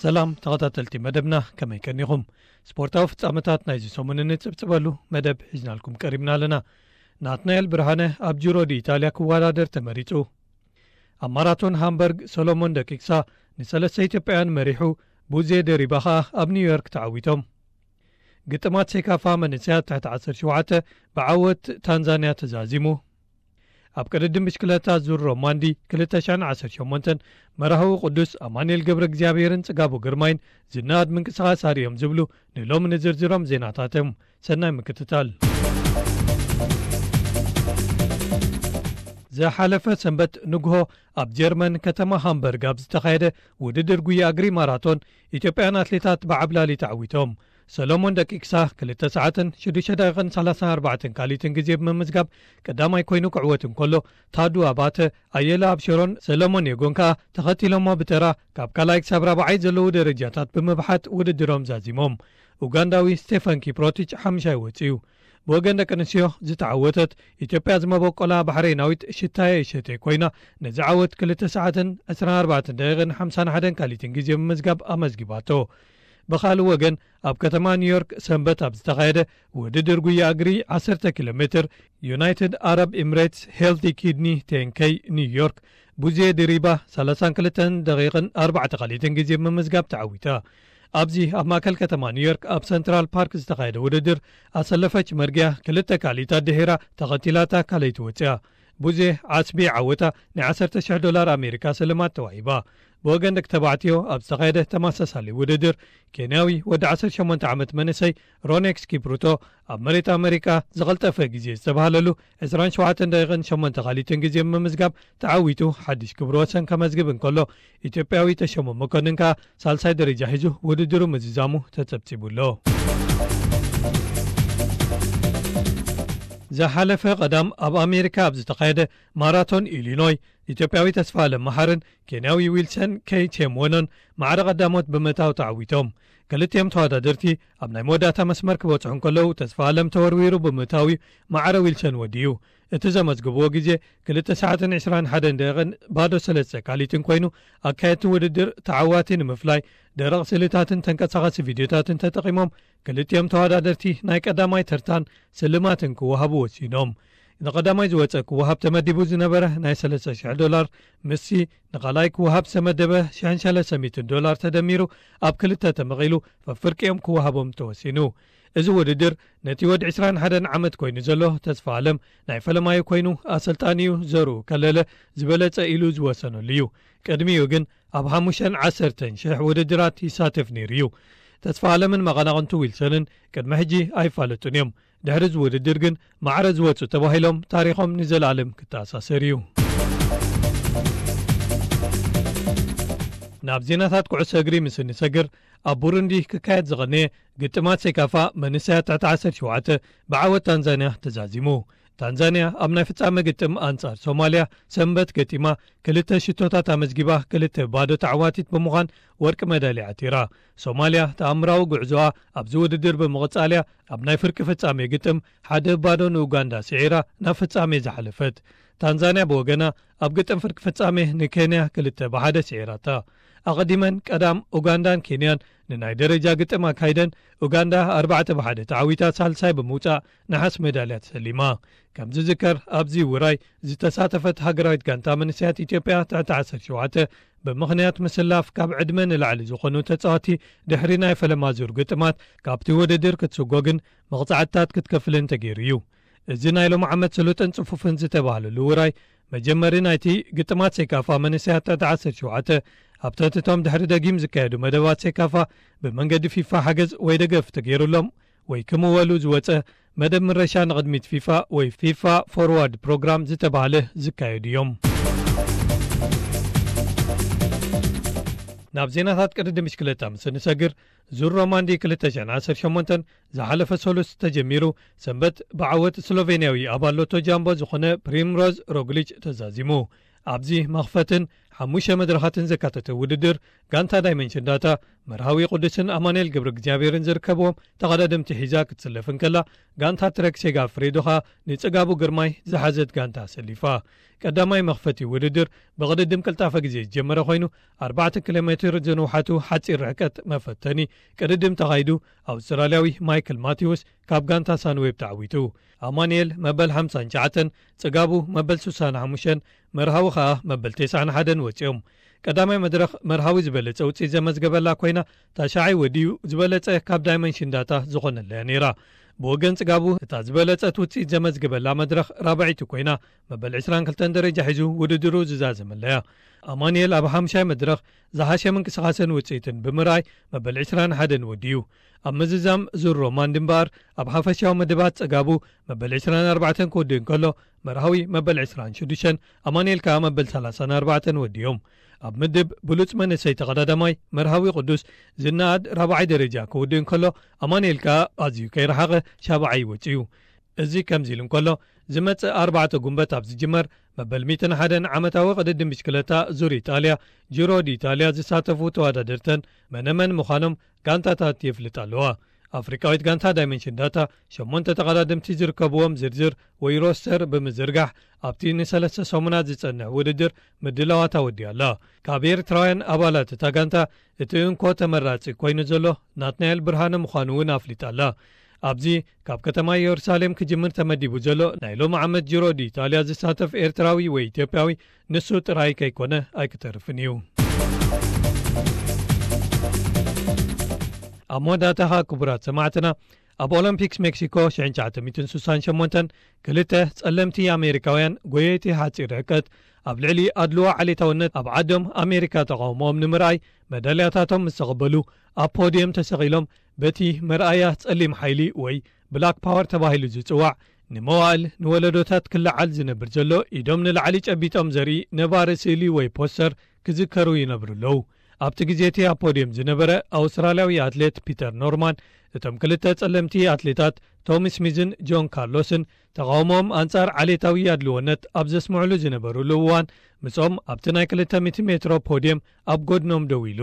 ሰላም ተኸታተልቲ መደብና፣ ከመይ ቀኒኹም? ስፖርታዊ ፍጻመታት ናይዚ ሰሙን እንጽብጽበሉ መደብ ሒዝናልኩም ቀሪብና ኣለና። ናትናኤል ብርሃነ ኣብ ጁሮ ዲ ኢጣልያ ክወዳደር ተመሪጹ። ኣብ ማራቶን ሃምበርግ ሰሎሞን ደቂቅሳ ንሰለስተ ኢትዮጵያውያን መሪሑ፣ ቡዜ ደሪባ ኸኣ ኣብ ኒውዮርክ ተዓዊቶም። ግጥማት ሴካፋ መንእሰያት ትሕቲ ዓሰርተ ሸውዓተ ብዓወት ታንዛንያ ተዛዚሙ። ኣብ ቅድድም ብሽክለታ ዙር ሮማንዲ ክልተ ሽሕን ዓሰርተ ሸሞንተን መራህዊ ቅዱስ ኣማኑኤል ገብረ እግዚኣብሔርን ጽጋቡ ግርማይን ዝነኣድ ምንቅስቓስ ኣርእዮም ዝብሉ ንሎሚ ንዝርዝሮም ዜናታቶም። ሰናይ ምክትታል። ዝሓለፈ ሰንበት ንግሆ ኣብ ጀርመን ከተማ ሃምበርግ ኣብ ዝተኻየደ ውድድር ጉያ እግሪ ማራቶን ኢትዮጵያን ኣትሌታት ብዓብላሊ ተዓዊቶም። ሰሎሞን ደቂቅሳ ክልተ ሰዓትን ሽዱሽተ ደቂቕን ሰላሳን ኣርባዕተን ካልኢትን ግዜ ብምምዝጋብ ቀዳማይ ኮይኑ ክዕወት እንከሎ፣ ታዱ ኣባተ፣ ኣየለ ኣብሸሮን ሰሎሞን የጎን ከኣ ተኸቲሎሞ ብተራ ካብ ካልኣይ ክሳብ ራብዓይ ዘለዉ ደረጃታት ብምብሓት ውድድሮም ዛዚሞም። ኡጋንዳዊ ስቴፈን ኪፕሮቲች ሓምሻይ ወጺኡ። ብወገን ደቂ ኣንስትዮ ዝተዓወተት ኢትዮጵያ ዝመበቆላ ባሕሬናዊት ሽታየ እሸቴ ኮይና፣ ነዚ ዓወት ክልተ ሰዓትን ዕስራን ኣርባዕተን ደቂቕን ሓምሳን ሓደን ካልኢትን ግዜ ብምምዝጋብ ኣመዝጊባቶ። ብኻልእ ወገን፣ ኣብ ከተማ ኒውዮርክ ሰንበት ኣብ ዝተኻየደ ውድድር ጉያ እግሪ ዓሰርተ ኪሎ ሜትር፣ ዩናይትድ ኣረብ ኤምሬትስ ሄልቲ ኪድኒ ቴን ኬይ ኒውዮርክ፣ ቡዜ ድሪባ ሰላሳን ክልተን ደቂቕን ኣርባዕተ ካልኢትን ግዜ ብምምዝጋብ ተዓዊታ። ኣብዚ ኣብ ማእከል ከተማ ኒውዮርክ ኣብ ሰንትራል ፓርክ ዝተኻየደ ውድድር፣ ኣሰለፈች መርጊያ ክልተ ካልኢታት ድሒራ ተኸቲላታ ካልኣይቲ ወጺኣ። ቡዜ ዓስቢ ዓወታ ናይ ዓሰርተ ሽሕ ዶላር ኣሜሪካ ስልማት ተዋሂባ። ብወገን ደቂ ተባዕትዮ ኣብ ዝተኻየደ ተመሳሳሊ ውድድር፣ ኬንያዊ ወዲ ዓሰርተ ሸሞንተ ዓመት መንእሰይ ሮኔክስ ኪፕሩቶ ኣብ መሬት ኣመሪካ ዝቐልጠፈ ግዜ ዝተባህለሉ ዕስራን ሸውዓተን ደቂቕን ሸሞንተ ካልኢትን ግዜ ብምምዝጋብ ተዓዊቱ ሓድሽ ክብሪ ወሰን ከመዝግብ እንከሎ፣ ኢትዮጵያዊ ተሾመ መኮንን ከኣ ሳልሳይ ደረጃ ሒዙ ውድድሩ ምዝዛሙ ተጸብጺቡ ኣሎ። ዝሓለፈ ቀዳም ኣብ ኣሜሪካ ኣብ ዝተኻየደ ማራቶን ኢሊኖይ፣ ኢትዮጵያዊ ተስፋ ኣለም መሓርን ኬንያዊ ዊልሰን ኬይ ቼምወኖን ማዕረ ቀዳሞት ብምእታው ተዓዊቶም። ክልቲኦም ተወዳደርቲ ኣብ ናይ መወዳእታ መስመር ክበጽሑ እንከለዉ፣ ተስፋ ኣለም ተወርዊሩ ብምእታው እዩ ማዕረ ዊልሰን ወዲኡ። እቲ ዘመዝግብዎ ግዜ ክልተ ሰዓትን ዕስራን ሓደን ደቂቕን ባዶ ሰለስተ ካልኢትን ኮይኑ፣ ኣካየድቲ ውድድር ተዓዋቲ ንምፍላይ ደረቕ ስእልታትን ተንቀሳቓሲ ቪድዮታትን ተጠቒሞም፣ ክልቲኦም ተወዳደርቲ ናይ ቀዳማይ ተርታን ስልማትን ክወሃቡ ወሲኖም። ንቐዳማይ ዝወጸ ክወሃብ ተመዲቡ ዝነበረ ናይ ሰለስተ ሽሕ ዶላር፣ ምስቲ ንኻልኣይ ክወሃብ ዝተመደበ ሽሕን ሰለስተ ሚእትን ዶላር ተደሚሩ ኣብ ክልተ ተመቒሉ፣ ፈፍርቂኦም ክወሃቦም ተወሲኑ። እዚ ውድድር ነቲ ወዲ ዕስራን ሓደን ዓመት ኮይኑ ዘሎ ተስፋ ኣለም ናይ ፈለማዩ ኮይኑ፣ ኣሰልጣኒኡ ዘርኡ ከለለ ዝበለጸ ኢሉ ዝወሰነሉ እዩ። ቅድሚኡ ግን ኣብ ሓሙሽተን ዓሰርተን ሽሕ ውድድራት ይሳተፍ ነይሩ እዩ። ተስፋ ኣለምን መቐናቕንቱ ዊልሰንን ቅድሚ ሕጂ ኣይፋለጡን እዮም። ድሕሪ እዚ ውድድር ግን ማዕረ ዝወጹ ተባሂሎም ታሪኾም ንዘለኣለም ክተኣሳሰር እዩ። ናብ ዜናታት ኩዕሶ እግሪ ምስ እንሰግር፣ ኣብ ቡሩንዲ ክካየድ ዝቐነየ ግጥማት ሴካፋ መንእሰያት ትሕቲ ዓሰርተ ሸውዓተ ብዓወት ታንዛንያ ተዛዚሙ። ታንዛንያ ኣብ ናይ ፍጻመ ግጥም ኣንጻር ሶማልያ ሰንበት ገጢማ፣ ክልተ ሽቶታት ኣመዝጊባ፣ ክልተ ባዶ ተዓዋቲት ብምዃን ወርቂ መዳልያ ዓቲራ። ሶማልያ ተኣምራዊ ጉዕዞኣ ኣብዚ ውድድር ብምቕጻልያ፣ ኣብ ናይ ፍርቂ ፍጻሜ ግጥም ሓደ ባዶ ንኡጋንዳ ስዒራ ናብ ፍጻሜ ዝሓለፈት። ታንዛንያ ብወገና ኣብ ግጥም ፍርቂ ፍጻሜ ንኬንያ ክልተ ብሓደ ስዒራታ። ኣቐዲመን ቀዳም ኡጋንዳን ኬንያን ንናይ ደረጃ ግጥም ኣካይደን፣ ኡጋንዳ ኣርባዕተ ብሓደ ተዓዊታ ሳልሳይ ብምውጻእ ነሓስ ሜዳልያ ተሰሊማ። ከም ዝዝከር፣ ኣብዚ ውራይ ዝተሳተፈት ሃገራዊት ጋንታ መንእሰያት ኢትዮጵያ ትሕቲ ዓሰርተ ሸውዓተ፣ ብምኽንያት ምስላፍ ካብ ዕድመ ንላዕሊ ዝኾኑ ተጻወቲ ድሕሪ ናይ ፈለማ ዙር ግጥማት ካብቲ ውድድር ክትስጎግን መቕጻዕትታት ክትከፍልን ተገይሩ እዩ። እዚ ናይ ሎም ዓመት ስሉጥን ጽፉፍን ዝተባህለሉ ውራይ፣ መጀመሪ ናይቲ ግጥማት ሴካፋ መንእሰያት ትሕቲ ዓሰርተ ሸውዓተ፣ ኣብ ትሕቲ እቶም ድሕሪ ደጊም ዝካየዱ መደባት ሴካፋ ብመንገዲ ፊፋ ሓገዝ ወይ ደገፍ ተገይሩሎም ወይ ክምወሉ ዝወጸ መደብ ምረሻ ንቕድሚት ፊፋ ወይ ፊፋ ፎርዋርድ ፕሮግራም ዝተባህለ ዝካየዱ እዮም። ናብ ዜናታት ቅድድም ብሽክለታ ምስ እንሰግር፣ ዙር ሮማንዲ ክልተ ሽሕን ዓሰርተ ሸሞንተን ዝሓለፈ ሰሉስ ተጀሚሩ፣ ሰንበት ብዓወት ስሎቬንያዊ ኣባል ሎቶ ጃምቦ ዝኾነ ፕሪምሮዝ ሮግሊች ተዛዚሙ። ኣብዚ መኽፈትን ሓሙሽተ መድረኻትን ዘካተተ ውድድር፣ ጋንታ ዳይመንሽን ዳታ፣ መርሃዊ ቅዱስን ኣማኑኤል ገብረ እግዚኣብሔርን ዝርከብዎም ተቐዳደምቲ ሒዛ ክትስለፍ እንከላ፣ ጋንታ ትረክ ሴጋ ፍሬዶ ኸኣ ንጽጋቡ ግርማይ ዝሓዘት ጋንታ ኣሰሊፋ። ቀዳማይ መኽፈቲ ውድድር ብቕድድም ቅልጣፈ ግዜ ዝጀመረ ኮይኑ፣ ኣርባዕተ ኪሎ ሜትር ዝንውሓቱ ሓጺር ርሕቀት መፈተኒ ቅድድም ተኻይዱ፣ ኣውስትራልያዊ ማይክል ማቲውስ ካብ ጋንታ ሳንዌብ ተዓዊቱ። ኣማኑኤል መበል ሓምሳን ትሽዓተን፣ ጽጋቡ መበል ስሳን ሓሙሽተን፣ መርሃዊ ኸኣ መበል ተስዓን ሓደን ወጺኦም። ቀዳማይ መድረኽ መርሃዊ ዝበለጸ ውጽኢት ዘመዝገበላ ኮይና፣ ታሽዓይ ወዲኡ ዝበለጸ ካብ ዳይመንሽን ዳታ ዝኾነለያ ነይራ። ብወገን ጽጋቡ እታ ዝበለጸት ውጽኢት ዘመዝገበላ መድረኽ ራብዐይቲ ኮይና፣ መበል ዕስራን ክልተን ደረጃ ሒዙ ውድድሩ ዝዛዘመለያ። ኣማኑኤል ኣብ ሓምሻይ መድረኽ ዝሓሸ ምንቅስቓስን ውጽኢትን ብምርኣይ መበል ዕስራን ሓደን ወዲኡ። ኣብ ምዝዛም ዙር ሮማንድ እምበኣር ኣብ ሓፈሻዊ መደባት ጽጋቡ መበል ዕስራን ኣርባዕተን ክውድእ እንከሎ፣ መርሃዊ መበል ዕስራን ሽዱሽተን፣ ኣማኑኤል ከኣ መበል ሰላሳን ኣርባዕተን ወዲኦም። ኣብ ምድብ ብሉጽ መንእሰይ ተቐዳዳማይ መርሃዊ ቅዱስ ዝነኣድ ራብዓይ ደረጃ ክውድእ እንከሎ፣ ኣማኑኤል ከኣ ኣዝዩ ከይረሓቐ ሻብዓይ ወጺኡ። እዚ ከምዚ ኢሉ እንከሎ፣ ዝመጽእ ኣርባዕተ ጉንበት ኣብ ዝጅመር መበል ሚእትን ሓደን ዓመታዊ ቅድድም ብሽክለታ ዙር ኢጣልያ፣ ጂሮ ዲ ኢጣልያ ዝሳተፉ ተወዳደርተን መነመን ምዃኖም ጋንታታት የፍልጣ ኣለዋ። ኣፍሪቃዊት ጋንታ ዳይመንሽን ዳታ ሸሞንተ ተቐዳደምቲ ዝርከብዎም ዝርዝር ወይ ሮስተር ብምዝርጋሕ ኣብቲ ንሰለስተ ሰሙናት ዝጸንሕ ውድድር ምድላዋት ኣወዲኣ ኣላ። ካብ ኤርትራውያን ኣባላት እታ ጋንታ እቲ እንኮ ተመራጺ ኮይኑ ዘሎ ናትናኤል ብርሃነ ምዃኑ እውን ኣፍሊጣ ኣላ። ኣብዚ ካብ ከተማ ኢየሩሳሌም ክጅምር ተመዲቡ ዘሎ ናይ ሎሚ ዓመት ጂሮ ዲ ኢጣልያ ዝሳተፍ ኤርትራዊ ወይ ኢትዮጵያዊ ንሱ ጥራይ ከይኮነ ኣይክተርፍን እዩ። ኣብ መወዳእታኻ ክቡራት ሰማዕትና፣ ኣብ ኦሎምፒክስ ሜክሲኮ ሽሕን ትሽዓተ ሚእትን ስሳን ሸሞንተን ክልተ ጸለምቲ ኣሜሪካውያን ጎየይቲ ሓጺር ርሕቀት ኣብ ልዕሊ ኣድልዎ ዓሌታውነት ኣብ ዓዶም ኣሜሪካ ተቓውሞኦም ንምርኣይ መዳልያታቶም ምስ ተቐበሉ ኣብ ፖድየም ተሰቒሎም በቲ መርኣያ ጸሊም ሓይሊ ወይ ብላክ ፓወር ተባሂሉ ዝጽዋዕ ንመዋእል ንወለዶታት ክለዓል ዝነብር ዘሎ ኢዶም ንላዕሊ ጨቢጦም ዘርኢ ነባሪ ስእሊ ወይ ፖስተር ክዝከሩ ይነብሩ ኣለዉ። ኣብቲ ግዜ እቲ ኣብ ፖድየም ዝነበረ ኣውስትራልያዊ ኣትሌት ፒተር ኖርማን እቶም ክልተ ጸለምቲ ኣትሌታት ቶሚ ስሚዝን ጆን ካርሎስን ተቓውሞኦም ኣንጻር ዓሌታዊ ኣድልዎነት ኣብ ዘስምዕሉ ዝነበሩሉ እዋን ምስኦም ኣብቲ ናይ ክልተ ሚእቲ ሜትሮ ፖድየም ኣብ ጎድኖም ደው ኢሉ።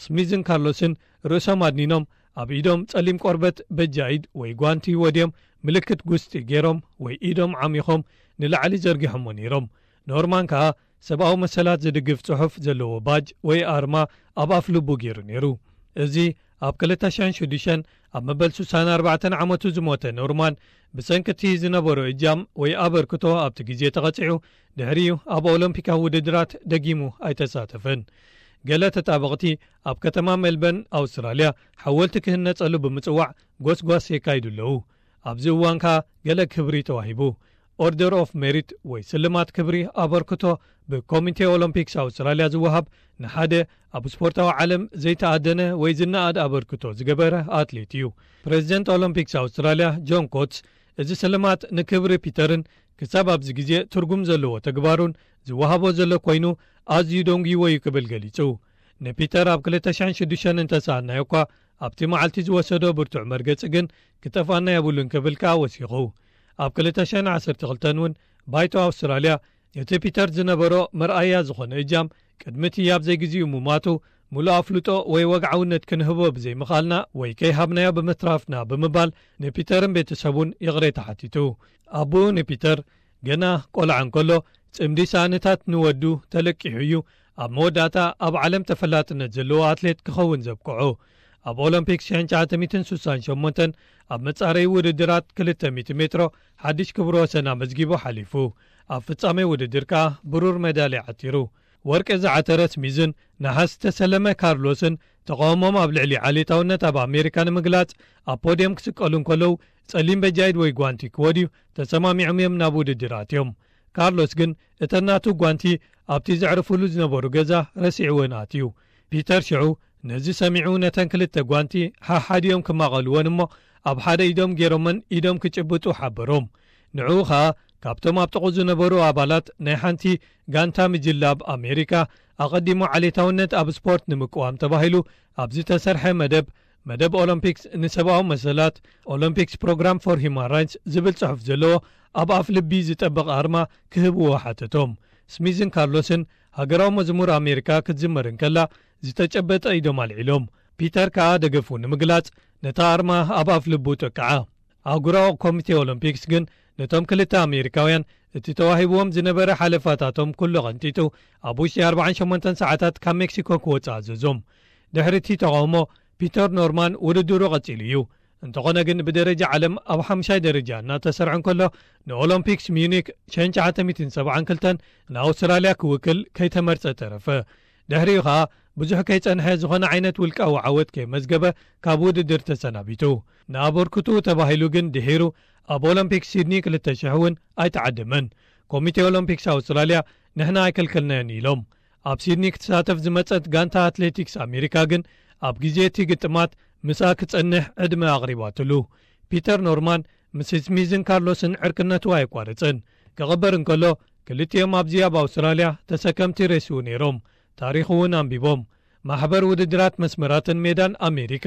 ስሚዝን ካርሎስን ርእሶም ኣድኒኖም ኣብ ኢዶም ጸሊም ቆርበት በጃ ኢድ ወይ ጓንቲ ወድዮም ምልክት ጉስጢ ገይሮም ወይ ኢዶም ዓሚኾም ንላዕሊ ዘርጊሖሞ ነይሮም። ኖርማን ከኣ ሰብኣዊ መሰላት ዝድግፍ ጽሑፍ ዘለዎ ባጅ ወይ ኣርማ ኣብ ኣፍ ልቡ ገይሩ ነይሩ። እዚ ኣብ ክልተ ሽሕን ሽዱሽተን ኣብ መበል ስሳን ኣርባዕተን ዓመቱ ዝሞተ ኖርማን ብሰንኪ እቲ ዝነበሮ እጃም ወይ ኣበርክቶ ኣብቲ ግዜ ተቐጺዑ ድሕሪኡ ኣብ ኦሎምፒካዊ ውድድራት ደጊሙ ኣይተሳተፈን። ገለ ተጣበቕቲ ኣብ ከተማ ሜልበርን ኣውስትራልያ ሓወልቲ ክህነጸሉ ብምጽዋዕ ጎስጓስ የካይዱ ኣለዉ። ኣብዚ እዋን ከኣ ገለ ክብሪ ተዋሂቡ። ኦርደር ኦፍ ሜሪት ወይ ስልማት ክብሪ ኣበርክቶ ብኮሚቴ ኦሎምፒክስ ኣውስትራልያ ዝወሃብ ንሓደ ኣብ ስፖርታዊ ዓለም ዘይተኣደነ ወይ ዝነኣድ ኣበርክቶ ዝገበረ ኣትሌት እዩ። ፕሬዚደንት ኦሎምፒክስ ኣውስትራልያ ጆን ኮትስ እዚ ስልማት ንክብሪ ፒተርን ክሳብ ኣብዚ ግዜ ትርጉም ዘለዎ ተግባሩን ዝወሃቦ ዘሎ ኮይኑ ኣዝዩ ደንጉይዎ እዩ ክብል ገሊጹ። ንፒተር ኣብ ክልተ ሽሕን ሽዱሽተን እንተሰኣናዮ እኳ ኣብቲ መዓልቲ ዝወሰዶ ብርቱዕ መርገጺ ግን ክጠፍኣና የብሉን ክብል ከኣ ወሲኹ። ኣብ ክልተ ሽሕን ዓሰርተ ክልተን እውን ባይቶ ኣውስትራልያ እቲ ፒተር ዝነበሮ መርኣያ ዝኾነ እጃም ቅድሚ እቲ ኣብ ዘይግዚኡ ምማቱ ምሉእ ኣፍልጦ ወይ ወግዓውነት ክንህቦ ብዘይምኽኣልና ወይ ከይሃብናዮ ብምትራፍና ብምባል ንፒተርን ቤተሰቡን ይቕሬታ ሓቲቱ። ኣቦኡ ንፒተር ገና ቆልዓ እንከሎ ጽምዲ ሳእንታት ንወዱ ተለቂሑ እዩ ኣብ መወዳእታ ኣብ ዓለም ተፈላጥነት ዘለዎ ኣትሌት ክኸውን ዘብቅዖ። ኣብ ኦሎምፒክ ሽሕን ትሽዓተ ሚእትን ስሳን ሸሞንተን ኣብ መጻረዪ ውድድራት ክልተ ሚእቲ ሜትሮ ሓድሽ ክብረ ወሰን ኣመዝጊቡ ሓሊፉ። ኣብ ፍጻሜ ውድድር ከኣ ብሩር ሜዳልያ ዓቲሩ። ወርቂ ዝዓተረ ስሚዝን ነሓስ ዝተሰለመ ካርሎስን ተቓውሞም ኣብ ልዕሊ ዓሌታውነት ኣብ ኣሜሪካ ንምግላጽ ኣብ ፖድየም ክስቀሉ እንከለዉ ጸሊም በጃይድ ወይ ጓንቲ ክወድዩ ተሰማሚዖም እዮም ናብ ውድድር ኣትዮም። ካርሎስ ግን እተን ናቱ ጓንቲ ኣብቲ ዘዕርፉሉ ዝነበሩ ገዛ ረሲዕወን ኣትዩ። ፒተር ሽዑ ነዚ ሰሚዑ ነተን ክልተ ጓንቲ ሓሓዲኦም ክማቐልወን እሞ ኣብ ሓደ ኢዶም ገይሮመን ኢዶም ክጭብጡ ሓበሮም። ንዕኡ ኸኣ ካብቶም ኣብ ጥቕኡ ዝነበሩ ኣባላት ናይ ሓንቲ ጋንታ ምጅላብ ኣሜሪካ ኣቐዲሙ ዓሌታውነት ኣብ ስፖርት ንምቅዋም ተባሂሉ ኣብ ዝተሰርሐ መደብ መደብ ኦሎምፒክስ ንሰብኣዊ መሰላት ኦሎምፒክስ ፕሮግራም ፎር ሂማን ራይትስ ዝብል ጽሑፍ ዘለዎ ኣብ ኣፍ ልቢ ዝጠበቕ ኣርማ ክህብዎ ሓተቶም። ስሚዝን ካርሎስን ሃገራዊ መዝሙር ኣሜሪካ ክትዝመር እንከላ ዝተጨበጠ ኢዶም ኣልዒሎም። ፒተር ከኣ ደገፉ ንምግላጽ ነታ ኣርማ ኣብ ኣፍ ልቡ ጠቅዓ። ኣህጉራዊ ኮሚቴ ኦሎምፒክስ ግን ነቶም ክልተ ኣሜሪካውያን እቲ ተዋሂብዎም ዝነበረ ሓለፋታቶም ኩሉ ቐንጢጡ ኣብ ውሽጢ ኣርባዓን ሸሞንተን ሰዓታት ካብ ሜክሲኮ ክወጽእ ኣዘዞም። ድሕሪ እቲ ተቓውሞ ፒተር ኖርማን ውድድሩ ቀጺሉ እዩ። እንተኾነ ግን ብደረጃ ዓለም ኣብ ሓምሻይ ደረጃ እናተሰርዐ እንከሎ ንኦሎምፒክስ ሚዩኒክ ሸን ትሽዓተ ሚእትን ሰብዓን ክልተን ንኣውስትራልያ ክውክል ከይተመርጸ ተረፈ። ድሕሪኡ ኸኣ ብዙሕ ከይጸንሐ ዝኾነ ዓይነት ውልቃዊ ዓወት ከይመዝገበ ካብ ውድድር ተሰናቢቱ። ንኣበርክትኡ ተባሂሉ ግን ድሒሩ ኣብ ኦሎምፒክ ሲድኒ ክልተ ሽሕ እውን ኣይተዓደመን። ኮሚቴ ኦሎምፒክስ ኣውስትራልያ ንሕና ኣይከልከልናዮን ኢሎም። ኣብ ሲድኒ ክትሳተፍ ዝመጸት ጋንታ ኣትሌቲክስ ኣሜሪካ ግን ኣብ ግዜ እቲ ግጥማት ምስኣ ክጸንሕ ዕድመ ኣቕሪባትሉ። ፒተር ኖርማን ምስ ስሚዝን ካርሎስን ዕርክነቱ ኣየቋረጸን። ክቕበር እንከሎ ክልቲኦም ኣብዚ ኣብ ኣውስትራልያ ተሰከምቲ ሬስኡ ነይሮም። ታሪኹ እውን ኣንቢቦም። ማሕበር ውድድራት መስመራትን ሜዳን ኣሜሪካ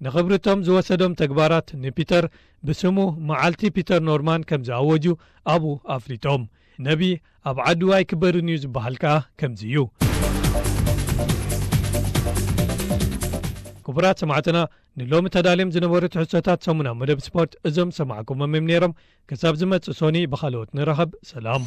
ንኽብርቶም ዝወሰዶም ተግባራት ንፒተር ብስሙ መዓልቲ ፒተር ኖርማን ከም ዝኣወጁ ኣብኡ ኣፍሊጦም። ነቢ ኣብ ዓዱ ኣይክበርን እዩ ዝበሃል ከኣ ከምዚ እዩ። ክቡራት ሰማዕትና፣ ንሎሚ ተዳልዮም ዝነበሩ ትሕዝቶታት ሰሙና መደብ ስፖርት እዞም ሰማዕኩሞም እዮም ነይሮም። ክሳብ ዝመጽእ ሶኒ ብኻልኦት ንራኸብ። ሰላም።